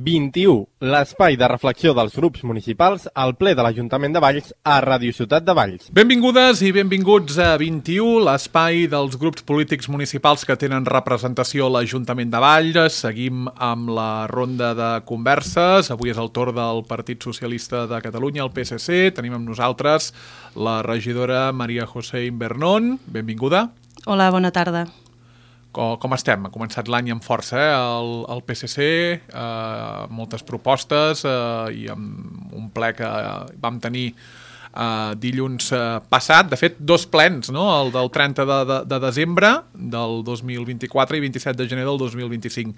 21. L'espai de reflexió dels grups municipals al ple de l'Ajuntament de Valls a Ràdio Ciutat de Valls. Benvingudes i benvinguts a 21, l'espai dels grups polítics municipals que tenen representació a l'Ajuntament de Valls. Seguim amb la ronda de converses. Avui és el torn del Partit Socialista de Catalunya, el PSC. Tenim amb nosaltres la regidora Maria José Invernón. Benvinguda. Hola, bona tarda. Com estem? Ha començat l'any amb força, el PSC, moltes propostes i amb un ple que vam tenir dilluns passat. De fet, dos plens, no? El del 30 de desembre del 2024 i 27 de gener del 2025.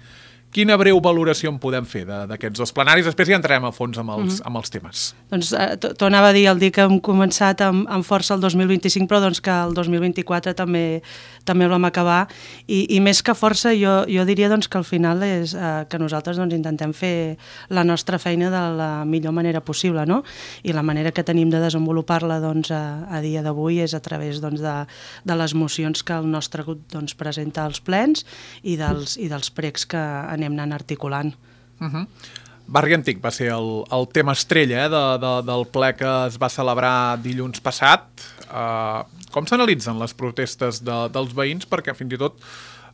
Quina breu valoració en podem fer d'aquests dos plenaris? Després ja entrarem a fons amb els temes. Doncs t'ho anava a dir el dia que hem començat amb força el 2025, però doncs que el 2024 també el vam acabar. I més que força, jo diria doncs, que al final és que nosaltres doncs, intentem fer la nostra feina de la millor manera possible, no? I la manera que tenim de desenvolupar-la doncs, a dia d'avui és a través doncs, de les mocions que el nostre grup doncs, presenta als plens i dels pregs que anem anant articulant. Barri Antic va ser el tema estrella del ple que es va celebrar dilluns passat. Com s'analitzen les protestes dels veïns? Perquè fins i tot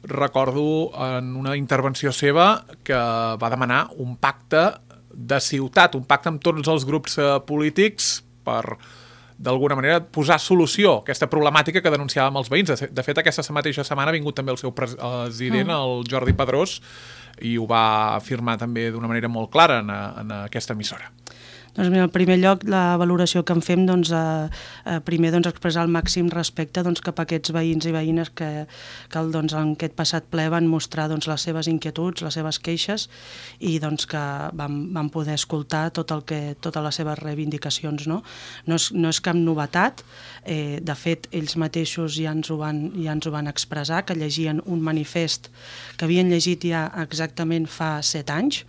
recordo en una intervenció seva que va demanar un pacte de ciutat, un pacte amb tots els grups polítics per d'alguna manera posar solució a aquesta problemàtica que denunciàvem els veïns. De fet, aquesta mateixa setmana ha vingut també el seu president, el Jordi Padrós, i ho va afirmar també d'una manera molt clara en aquesta emissora. Doncs en primer lloc, la valoració que en fem, doncs, primer doncs, expressar el màxim respecte doncs, cap a aquests veïns i veïnes que doncs, en aquest passat ple van mostrar doncs, les seves inquietuds, les seves queixes i doncs, que vam poder escoltar totes les seves reivindicacions. No és cap novetat. De fet, ells mateixos ja ens ho van expressar, que llegien un manifest que havien llegit ja exactament fa 7 anys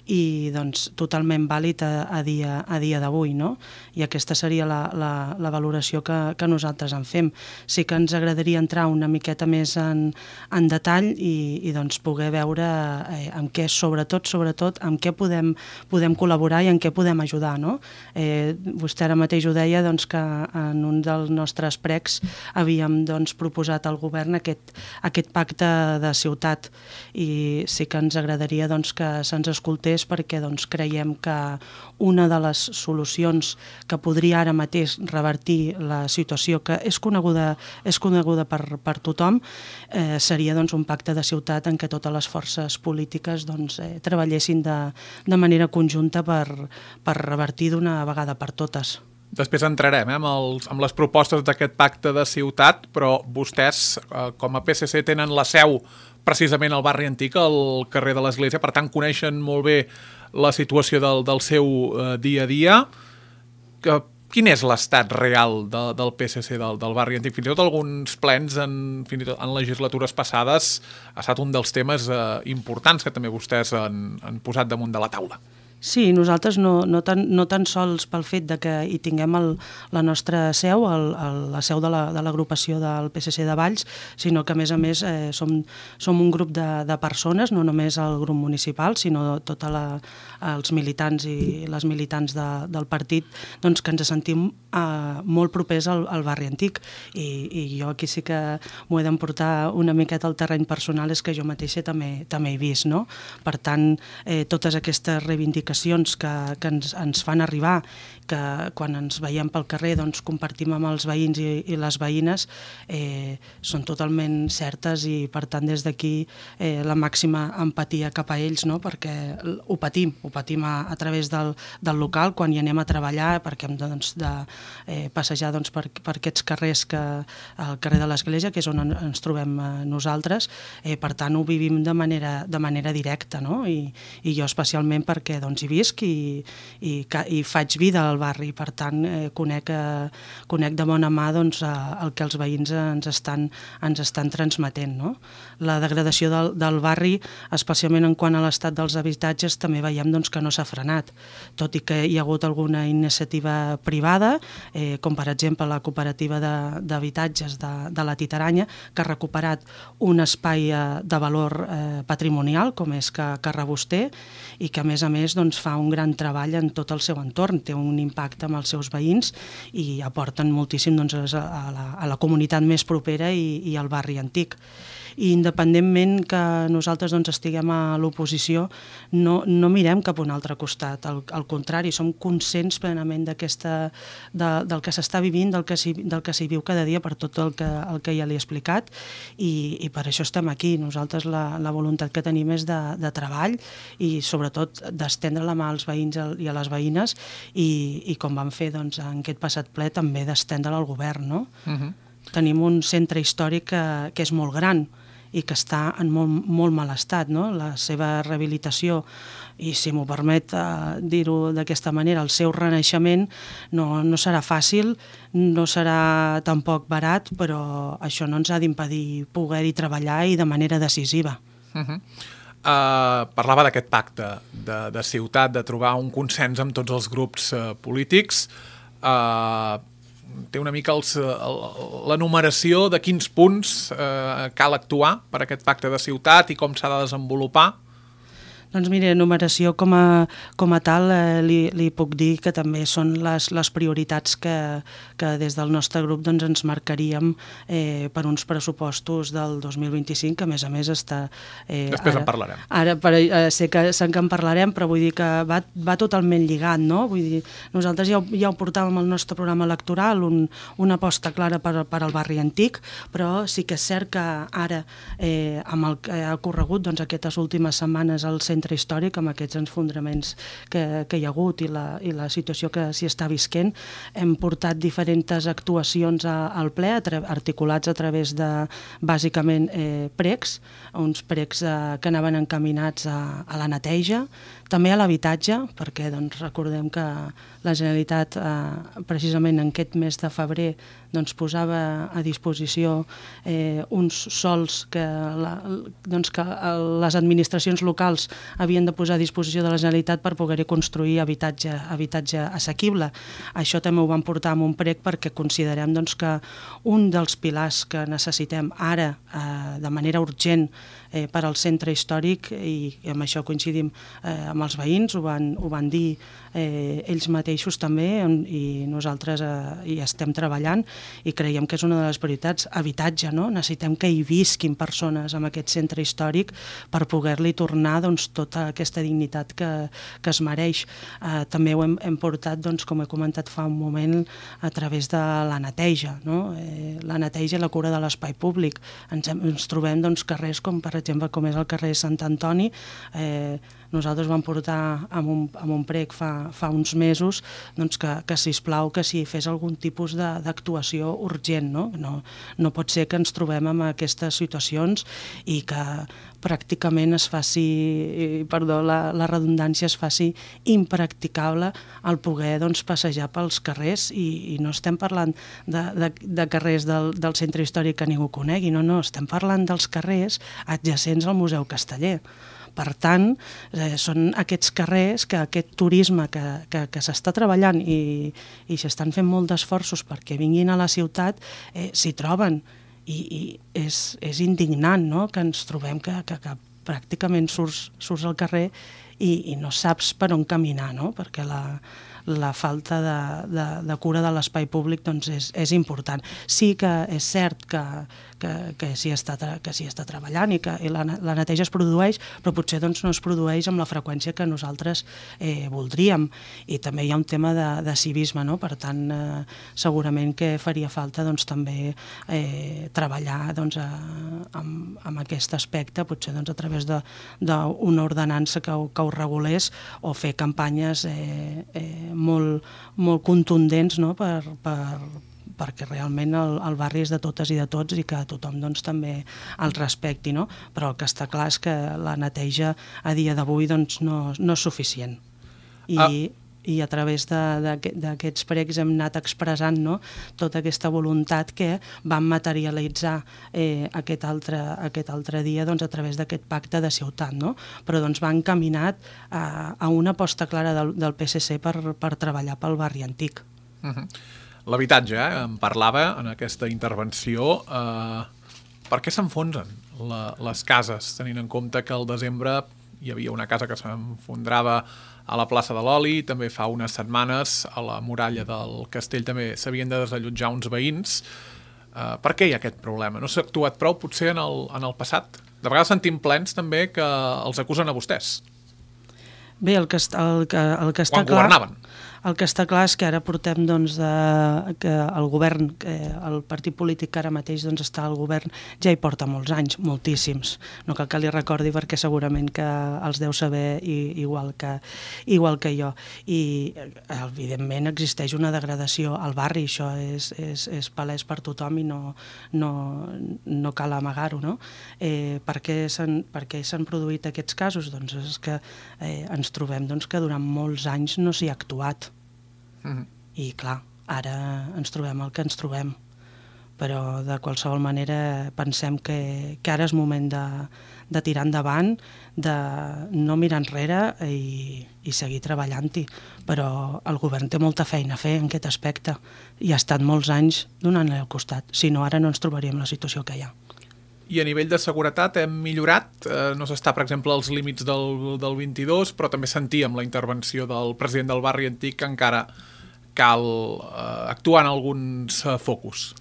i doncs, totalment vàlid a dia d'avui, no? I aquesta seria la valoració que nosaltres en fem. Sí que ens agradaria entrar una miqueta més en detall i doncs, poder veure en què, sobretot, en què podem col·laborar i en què podem ajudar, no? Vostè ara mateix ho deia doncs, que en un dels nostres pregs havíem doncs, proposat al govern aquest pacte de ciutat i sí que ens agradaria doncs, que se'ns escoltés perquè doncs, creiem que una de les solucions que podria ara mateix revertir la situació que és coneguda per tothom seria doncs, un pacte de ciutat en què totes les forces polítiques doncs, treballessin de manera conjunta per revertir d'una vegada per totes. Després entrarem amb les propostes d'aquest pacte de ciutat, però vostès, com a PSC, tenen la seu precisament al barri Antic, al carrer de l'Església, per tant coneixen molt bé la situació del seu dia a dia. Quin és l'estat real del PSC del barri Antic? Fins i tot alguns plens fins i tot en legislatures passades ha estat un dels temes importants que també vostès han posat damunt de la taula. Sí, nosaltres no tan sols pel fet de que hi tinguem la nostra seu, la seu de l'agrupació del PSC de Valls, sinó que a més som un grup de persones, no només el grup municipal, sinó tots els militants i les militants del partit, doncs que ens sentim molt propers al barri Antic. I jo aquí sí que m'ho he d'emportar una miqueta al terreny personal, és que jo mateixa també he vist, no? Per tant, totes aquestes reivindicacions que ens fan arribar, que quan ens veiem pel carrer doncs, compartim amb els veïns i les veïnes, són totalment certes i per tant des d'aquí la màxima empatia cap a ells, no? Perquè ho patim a través del local quan hi anem a treballar, perquè hem doncs, de passejar doncs, per aquests carrers, al carrer de l'Església, que és on ens trobem nosaltres, per tant ho vivim de manera directa, no? I jo especialment perquè doncs, doncs hi visc i faig vida al barri, per tant conec de bona mà doncs, el que els veïns ens estan transmetent, no? La degradació del barri, especialment en quant a l'estat dels habitatges, també veiem doncs, que no s'ha frenat, tot i que hi ha hagut alguna iniciativa privada, com per exemple la cooperativa d'habitatges de la Titaranya, que ha recuperat un espai de valor patrimonial, com és que Reboster, i que a més doncs, fa un gran treball en tot el seu entorn, té un impacte amb els seus veïns i aporten moltíssim doncs, a la comunitat més propera i al barri antic. I independentment que nosaltres doncs, estiguem a l'oposició, no mirem cap a un altre costat, al contrari, som conscients plenament del que s'està vivint, del que s'hi viu cada dia per tot el que ja li he explicat i per això estem aquí. Nosaltres la voluntat que tenim és de treball i sobretot d'estendre la mà als veïns i a les veïnes i com vam fer doncs, en aquest passat ple també d'estendre-la al govern. No? Tenim un centre històric que és molt gran i que està en molt mal estat, no? La seva rehabilitació i, si m'ho permet dir-ho d'aquesta manera, el seu renaixement no serà fàcil, no serà tampoc barat, però això no ens ha d'impedir poder-hi treballar i de manera decisiva. Parlava d'aquest pacte de ciutat, de trobar un consens amb tots els grups polítics. Té una mica la numeració de quins punts cal actuar per aquest pacte de ciutat i com s'ha de desenvolupar. Doncs mira, numeració com a tal li puc dir que també són les prioritats que des del nostre grup doncs, ens marcaríem per uns pressupostos del 2025, que a més està... Després en parlarem. Ara sé que en parlarem, però vull dir que va totalment lligat, no? Vull dir, nosaltres ja ho portàvem al nostre programa electoral, una aposta clara per al barri antic, però sí que és cert que ara, amb el que ha ocorregut doncs, aquestes últimes setmanes al centre històric, amb aquests enfondraments que hi ha hagut i la situació que s'hi està visquent, hem portat diferents actuacions al ple, articulats a través de, bàsicament, precs, uns precs que anaven encaminats a la neteja, també a l'habitatge, perquè doncs, recordem que la Generalitat, precisament en aquest mes de febrer, doncs, posava a disposició uns sols que les administracions locals havien de posar a disposició de la Generalitat per poder-hi construir habitatge assequible. Això també ho vam portar amb un prec perquè considerem doncs, que un dels pilars que necessitem ara de manera urgent per al centre històric, i amb això coincidim amb els veïns, ho van dir ells mateixos també, i nosaltres hi estem treballant i creiem que és una de les prioritats. Habitatge, no? Necessitem que hi visquin persones en aquest centre històric per poder-li tornar doncs, tota aquesta dignitat que es mereix. També ho hem portat, doncs, com he comentat fa un moment, a través de la neteja, no? La neteja i la cura de l'espai públic. Ens trobem doncs, carrers com, per exemple, com és el carrer Sant Antoni. Nosaltres vam portar amb un prec fa uns mesos doncs, que sisplau que s'hi fes algun tipus d'actuació urgent. No pot ser que ens trobem en aquestes situacions i que pràcticament es faci, perdó, la redundància, es faci impracticable el poder doncs, passejar pels carrers i no estem parlant de carrers del centre històric que ningú conegui, no, estem parlant dels carrers adjacents al Museu Casteller. Per tant, són aquests carrers, aquest turisme que s'està treballant i s'estan fent molt d'esforços perquè vinguin a la ciutat, s'hi troben. I és indignant, no?, que ens trobem que pràcticament surts al carrer i no saps per on caminar, no?, perquè la falta de cura de l'espai públic doncs és important. Sí que és cert que s'hi està treballant i que la neteja es produeix, però potser doncs, no es produeix amb la freqüència que nosaltres voldríem. I també hi ha un tema de civisme, no? Per tant, segurament que faria falta doncs, també treballar doncs, amb aquest aspecte, potser doncs, a través d'una ordenança que ho regulés o fer campanyes molt contundents, no? Perquè realment el barri és de totes i de tots i que tothom doncs, també el respecti, no? Però el que està clar és que la neteja a dia d'avui doncs, no és suficient. i a través d'aquests pregs hem anat expressant, no?, tota aquesta voluntat que vam materialitzar aquest altre dia, doncs, a través d'aquest pacte de ciutat, no? Però doncs, va encaminat a una aposta clara del PSC per treballar pel barri antic. L'habitatge, em parlava en aquesta intervenció. Per què s'enfonsen les cases, tenint en compte que al desembre hi havia una casa que s'enfondrava a la plaça de l'Oli, també fa unes setmanes a la muralla del castell també s'havien de desallotjar uns veïns. Per què hi ha aquest problema? No s'ha actuat prou potser en el passat? De vegades sentim plens també que els acusen a vostès. Bé, el que està Quan clar... governaven. El que està clar és que ara portem que el govern, el partit polític que ara mateix està al govern, ja hi porta molts anys, moltíssims. No cal que li recordi perquè segurament que els deu saber igual que jo. I evidentment existeix una degradació al barri, això és palès per tothom i no cal amagar-ho, no? Per què s'han produït aquests casos? Doncs és que ens trobem que durant molts anys no s'hi ha actuat. I clar, ara ens trobem el que ens trobem, però de qualsevol manera pensem que ara és moment de tirar endavant, de no mirar enrere i seguir treballant-hi, però el govern té molta feina a fer en aquest aspecte i ha estat molts anys donant-li al costat, si no ara no ens trobaríem la situació que hi ha. I a nivell de seguretat hem millorat, no s'està, per exemple, als límits del 22, però també sentíem la intervenció del president del barri antic que encara cal actuar en alguns focus.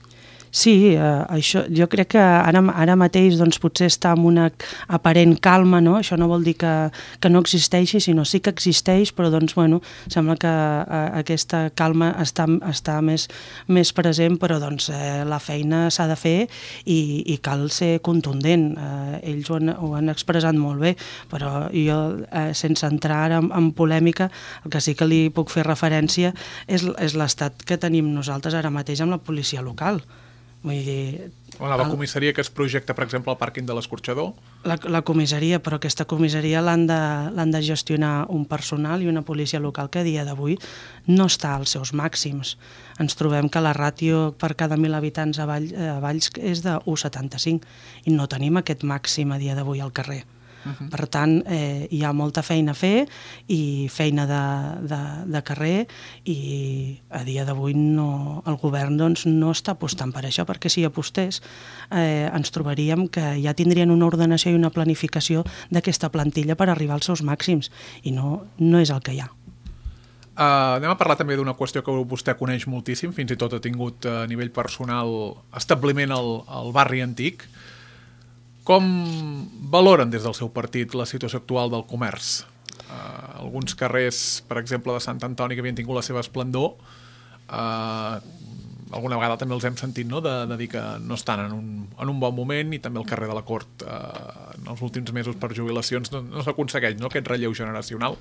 Sí, això, jo crec que ara mateix potser està en una aparent calma, no? Això no vol dir que no existeixi, sinó sí que existeix, però sembla que aquesta calma està més present, però la feina s'ha de fer i cal ser contundent. Ells ho han expressat molt bé, però jo, sense entrar ara en polèmica, el que sí que li puc fer referència és l'estat que tenim nosaltres ara mateix amb la policia local. Vull dir... La comissaria que es projecta, per exemple, al pàrquing de l'Escorxador? La comissaria, però aquesta comissaria l'han de gestionar un personal i una policia local que a dia d'avui no està als seus màxims. Ens trobem que la ràtio per cada 1.000 habitants a Valls és de 1,75 i no tenim aquest màxim a dia d'avui al carrer. Per tant, hi ha molta feina a fer i feina de carrer i a dia d'avui el govern no està apostant per això, perquè si apostés ens trobaríem que ja tindrien una ordenació i una planificació d'aquesta plantilla per arribar als seus màxims i no és el que hi ha. Anem a parlar també d'una qüestió que vostè coneix moltíssim, fins i tot ha tingut a nivell personal establiment al barri antic. Com valoren des del seu partit la situació actual del comerç? Alguns carrers, per exemple, de Sant Antoni, que havien tingut la seva esplendor, alguna vegada també els hem sentit, no?, de dir que no estan en un bon moment, i també el carrer de la Cort en els últims mesos per jubilacions no s'aconsegueix, no?, aquest relleu generacional.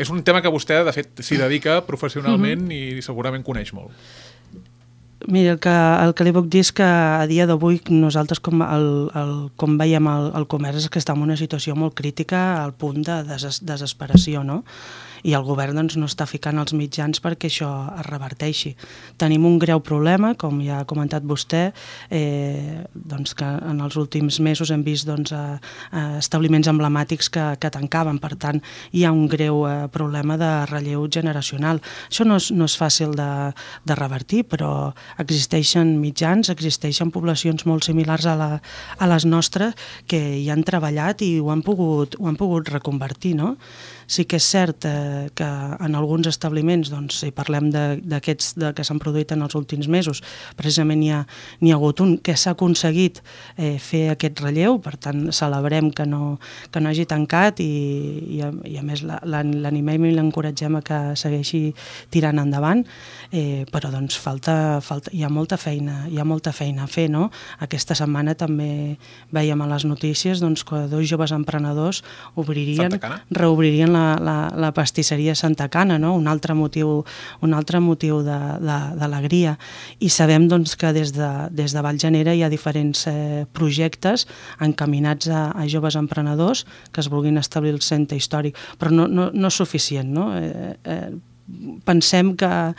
És un tema que vostè, de fet, s'hi dedica professionalment i segurament coneix molt. Mira, el que li puc dir és que a dia d'avui nosaltres com veiem el comerç és que està en una situació molt crítica al punt de desesperació, no? I el govern no està ficant els mitjans perquè això es reverteixi. Tenim un greu problema, com ja ha comentat vostè, que en els últims mesos hem vist establiments emblemàtics que tancaven, per tant hi ha un greu problema de relleu generacional. Això no és fàcil de revertir, però existeixen mitjans, existeixen poblacions molt similars a les nostres que hi han treballat i ho han pogut reconvertir, no? Sí que és cert que en alguns establiments, si parlem d'aquests que s'han produït en els últims mesos, precisament n'hi ha hagut un que s'ha aconseguit fer aquest relleu, per tant celebrem que no hagi tancat i a més l'animem i l'encoratgem a que segueixi tirant endavant, però hi ha molta feina a fer, no? Aquesta setmana també veiem a les notícies que 2 joves emprenedors reobririen la pastisseria Santa Cana, no? Un altre motiu d'alegria. I sabem doncs, que des de Vallgenera hi ha diferents projectes encaminats a joves emprenedors que es vulguin establir el centre històric, però no és suficient, no? Pensem que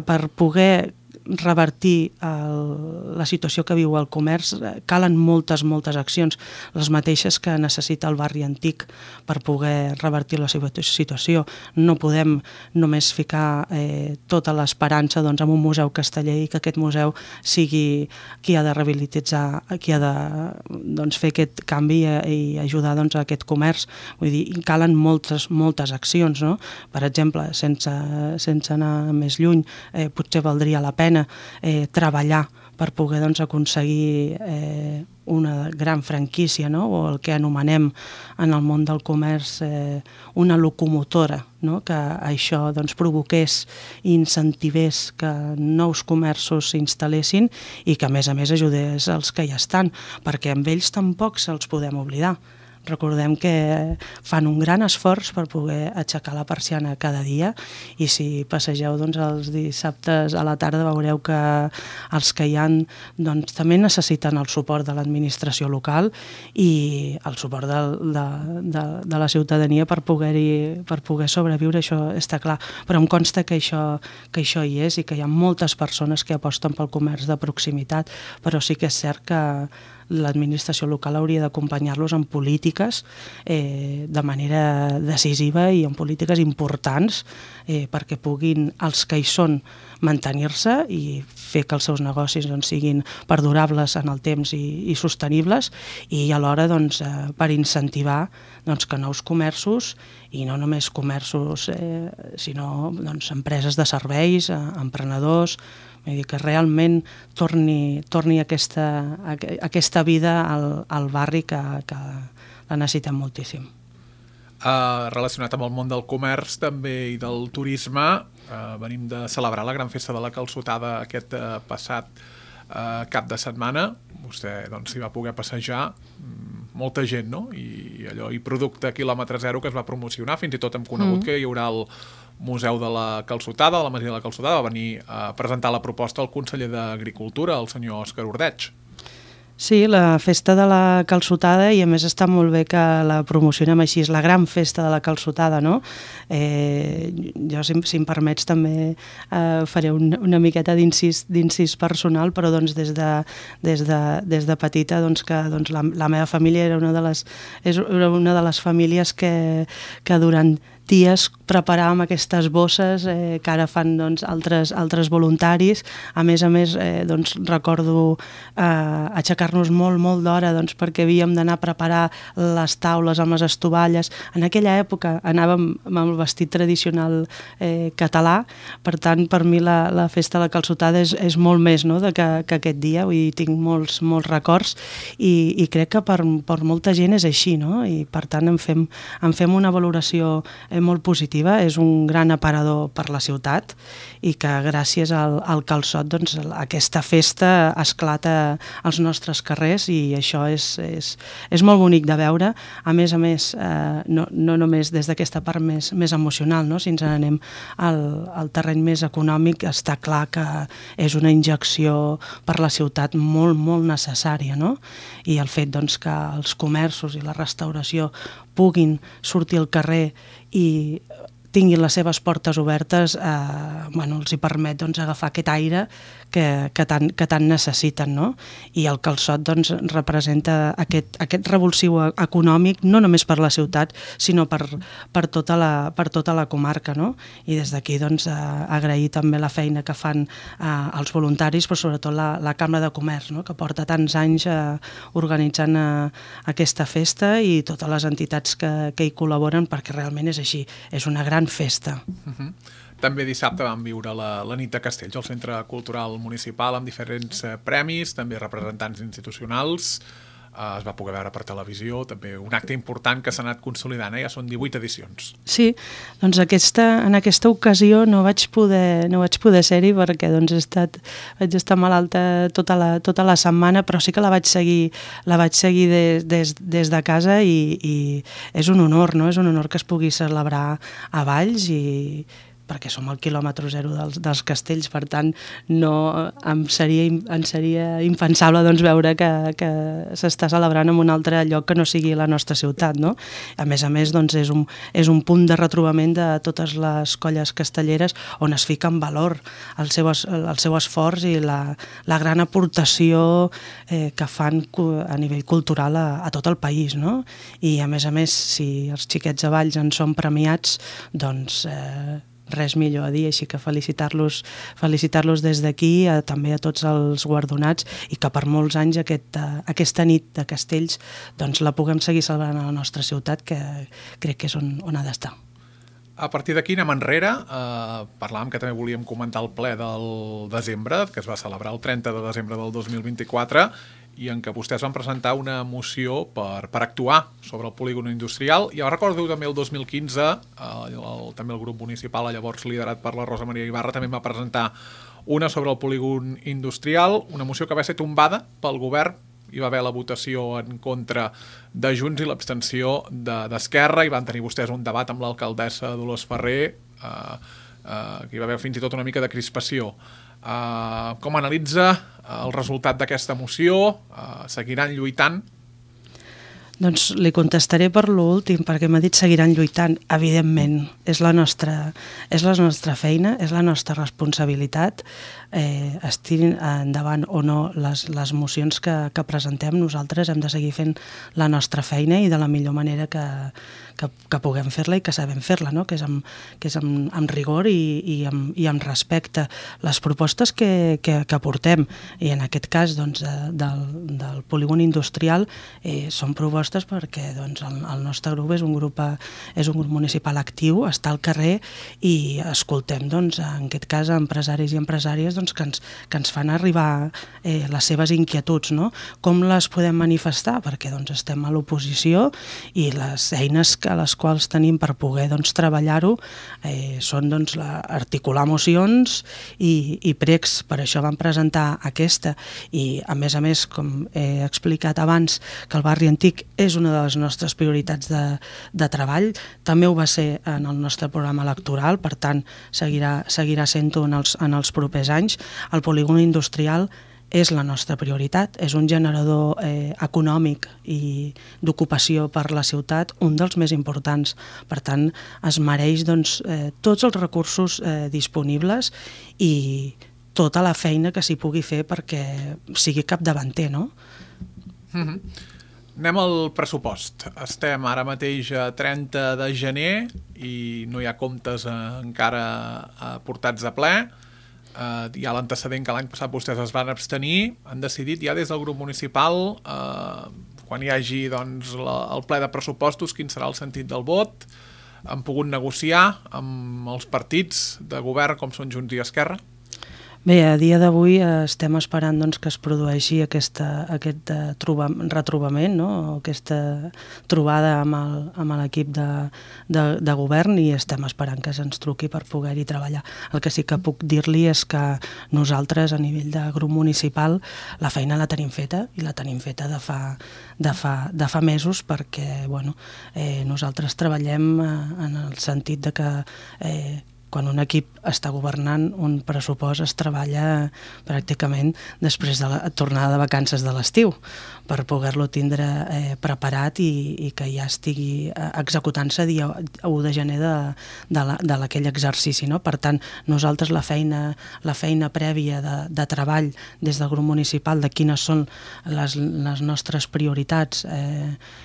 per poder revertir la situació que viu el comerç calen moltes accions, les mateixes que necessita el barri antic per poder revertir la seva situació. No podem només ficar tota l'esperança en un museu casteller i que aquest museu sigui qui ha de rehabilitar, qui ha de fer aquest canvi i ajudar a aquest comerç. Vull dir, calen moltes accions, no? Per exemple, sense anar més lluny, potser valdria la pena treballar per poder aconseguir una gran franquícia, no? O el que anomenem en el món del comerç una locomotora, no? Que això provoqués i incentivés que nous comerços s'instal·lessin i que a més ajudés els que ja estan, perquè amb ells tampoc se'ls podem oblidar. Recordem que fan un gran esforç per poder aixecar la persiana cada dia i si passegeu els dissabtes a la tarda veureu que els que hi ha també necessiten el suport de l'administració local i el suport de la ciutadania per poder sobreviure, això està clar. Però em consta que això hi és i que hi ha moltes persones que aposten pel comerç de proximitat, però sí que és cert que l'administració local hauria d'acompanyar-los en polítiques de manera decisiva i en polítiques importants perquè puguin, els que hi són, mantenir-se i fer que els seus negocis siguin perdurables en el temps i sostenibles i alhora per incentivar que nous comerços, i no només comerços, sinó empreses de serveis, emprenedors, vull dir que realment torni aquesta vida al barri que la necessitem moltíssim. Relacionat amb el món del comerç també i del turisme, venim de celebrar la gran festa de la Calçotada aquest passat cap de setmana. Vostè s'hi va poder passejar, molta gent, no? I producte quilòmetre zero que es va promocionar, fins i tot hem conegut que hi haurà el Museu de la Calçotada, de la Masia de la Calçotada, va venir a presentar la proposta al conseller d'Agricultura, el senyor Òscar Ordeig. Sí, la festa de la Calçotada, i a més està molt bé que la promocionem així, és la gran festa de la Calçotada, no? Jo, si em permets, també faré una miqueta d'incís personal, però des de petita que la meva família era una de les famílies que durant dies preparàvem aquestes bosses que ara fan altres voluntaris. A més, recordo aixecar-nos molt d'hora perquè havíem d'anar a preparar les taules amb les estovalles. En aquella època anàvem amb el vestit tradicional català, per tant, per mi la festa de la Calçotada és molt més que aquest dia, vull dir, tinc molts records i crec que per molta gent és així, no? I per tant en fem una valoració molt positiva, és un gran aparador per la ciutat i que gràcies al calçot aquesta festa esclata als nostres carrers i això és molt bonic de veure. A més, no només des d'aquesta part més emocional, no? Si ens n'anem al terreny més econòmic, està clar que és una injecció per la ciutat molt necessària, no? I el fet que els comerços i la restauració puguin sortir al carrer i tinguin les seves portes obertes, els hi permet agafar aquest aire que tant necessiten, no? I el calçot representa aquest revulsiu econòmic, no només per la ciutat, sinó per tota la comarca, no? I des d'aquí agrair també la feina que fan els voluntaris, però sobretot la Cambra de Comerç, no? Que porta tants anys organitzant aquesta festa i totes les entitats que hi col·laboren, perquè realment és així, és una gran festa. També dissabte vam viure la nit de Castells al Centre Cultural Municipal amb diferents premis, també representants institucionals. es va poder veure per televisió, també un acte important que s'ha anat consolidant, ja són 18 edicions. Sí, doncs en aquesta ocasió no vaig poder ser-hi perquè doncs, vaig estar malalta tota la setmana, però sí que la vaig seguir des de casa i és un honor, no? És un honor que es pugui celebrar a Valls perquè som al quilòmetre zero dels castells, per tant em seria impensable doncs, veure que s'està celebrant en un altre lloc que no sigui la nostra ciutat, no? A més, doncs, és un punt de retrobament de totes les colles castelleres on es fica en valor el seu esforç i la gran aportació que fan a nivell cultural a tot el país, no? I a més, si els xiquets de Valls en són premiats, doncs res millor a dir, així que felicitar-los des d'aquí, també a tots els guardonats, i que per molts anys aquesta nit de castells doncs la puguem seguir celebrant a la nostra ciutat, que crec que és on ha d'estar. A partir d'aquí anem enrere, parlàvem que també volíem comentar el ple del desembre, que es va celebrar el 30 de desembre del 2024, i en què vostès van presentar una moció per actuar sobre el polígon industrial. I recordo també el 2015, també el grup municipal, llavors liderat per la Rosa Maria Ibarra, també va presentar una sobre el polígon industrial, una moció que va ser tombada pel govern. Hi va haver la votació en contra de Junts i l'abstenció d'Esquerra, i van tenir vostès un debat amb l'alcaldessa Dolors Ferrer, que hi va haver fins i tot una mica de crispació. Com analitza el resultat d'aquesta moció? Seguiran lluitant? Doncs li contestaré per l'últim, perquè m'ha dit seguiran lluitant. Evidentment, és la nostra feina, és la nostra responsabilitat. Estirin endavant o no les mocions que presentem, nosaltres hem de seguir fent la nostra feina i de la millor manera que puguem fer-la i que sabem fer-la, no? que és amb rigor i amb respecte. Les propostes que portem, i en aquest cas doncs, del polígon industrial, són propostes perquè doncs, el nostre grup és un grup municipal actiu, està al carrer i escoltem, doncs, en aquest cas, empresaris i empresàries doncs, que ens fan arribar les seves inquietuds, no? Com les podem manifestar? Perquè doncs, estem a l'oposició i les eines a les quals tenim per poder doncs, treballar-ho són doncs, articular mocions i pregs. Per això vam presentar aquesta, i a més, com he explicat abans, que el barri antic és una de les nostres prioritats de treball, també ho va ser en el nostre programa electoral, per tant seguirà sent-ho en els propers anys. El polígon industrial és la nostra prioritat, és un generador econòmic i d'ocupació per la ciutat, un dels més importants. Per tant, es mereix doncs, tots els recursos disponibles i tota la feina que s'hi pugui fer perquè sigui capdavanter, no? Anem al pressupost. Estem ara mateix a 30 de gener i no hi ha comptes encara portats a ple. Hi ha l'antecedent que l'any passat vostès es van abstenir. Han decidit ja des del grup municipal, quan hi hagi doncs, el ple de pressupostos, quin serà el sentit del vot. Han pogut negociar amb els partits de govern com són Junts i Esquerra? Bé, a dia d'avui estem esperant doncs, que es produeixi aquest retrobament, no? Aquesta trobada amb l'equip de govern, i estem esperant que se'ns truqui per poder-hi treballar. El que sí que puc dir-li és que nosaltres, a nivell de grup municipal, la feina la tenim feta, i la tenim feta de fa mesos, perquè nosaltres treballem en el sentit de que quan un equip està governant, un pressupost es treballa pràcticament després de la tornada de vacances de l'estiu, per poder-lo tindre preparat i que ja estigui executant-se dia 1 de gener de aquell exercici, no? Per tant, nosaltres la feina prèvia de treball des del grup municipal de quines són les nostres prioritats,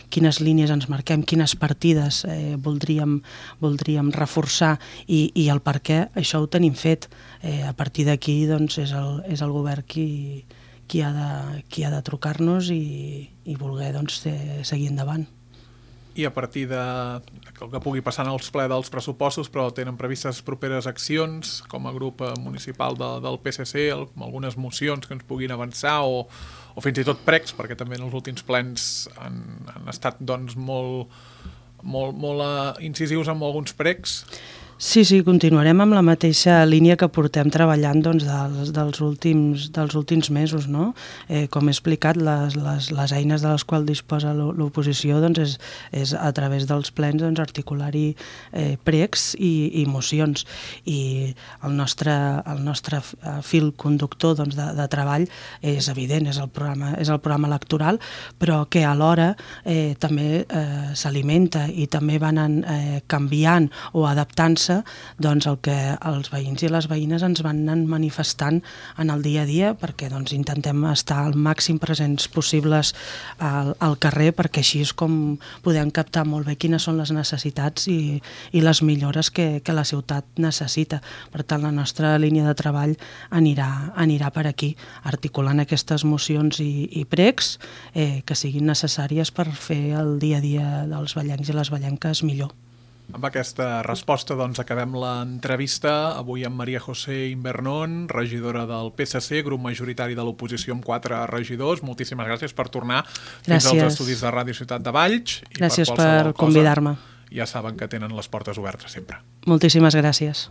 quines línies ens marquem, quines partides voldríem reforçar i el per què, això ho tenim fet. A partir d'aquí doncs, és el govern qui ha de trucar-nos i voler doncs, seguir endavant. i a partir de el que pugui passar en els ple dels pressupostos, però tenen previstes properes accions com a grup municipal del PSC, algunes mocions que ens puguin avançar o fins i tot pregs, perquè també en els últims plens han estat doncs, molt incisius amb alguns pregs. Sí, continuarem amb la mateixa línia que portem treballant doncs, dels últims mesos. No? Com he explicat, les eines de les quals disposa l'oposició doncs, és a través dels plens doncs, articular-hi pregs i mocions. I el nostre fil conductor doncs, de treball és evident, és el programa electoral, però que alhora també s'alimenta i també van canviant o adaptant-se doncs el que els veïns i les veïnes ens van anar manifestant en el dia a dia, perquè doncs, intentem estar al màxim presents possibles al carrer, perquè així és com podem captar molt bé quines són les necessitats i les millores que la ciutat necessita. Per tant, la nostra línia de treball anirà per aquí, articulant aquestes mocions i pregs que siguin necessàries per fer el dia a dia dels vallencs i les vallenques millor. Amb aquesta resposta doncs, acabem l'entrevista avui amb Maria José Invernón, regidora del PSC, grup majoritari de l'oposició amb 4 regidors. Moltíssimes gràcies per tornar fins als estudis de Ràdio Ciutat de Valls. Gràcies per convidar-me. Ja saben que tenen les portes obertes sempre. Moltíssimes gràcies.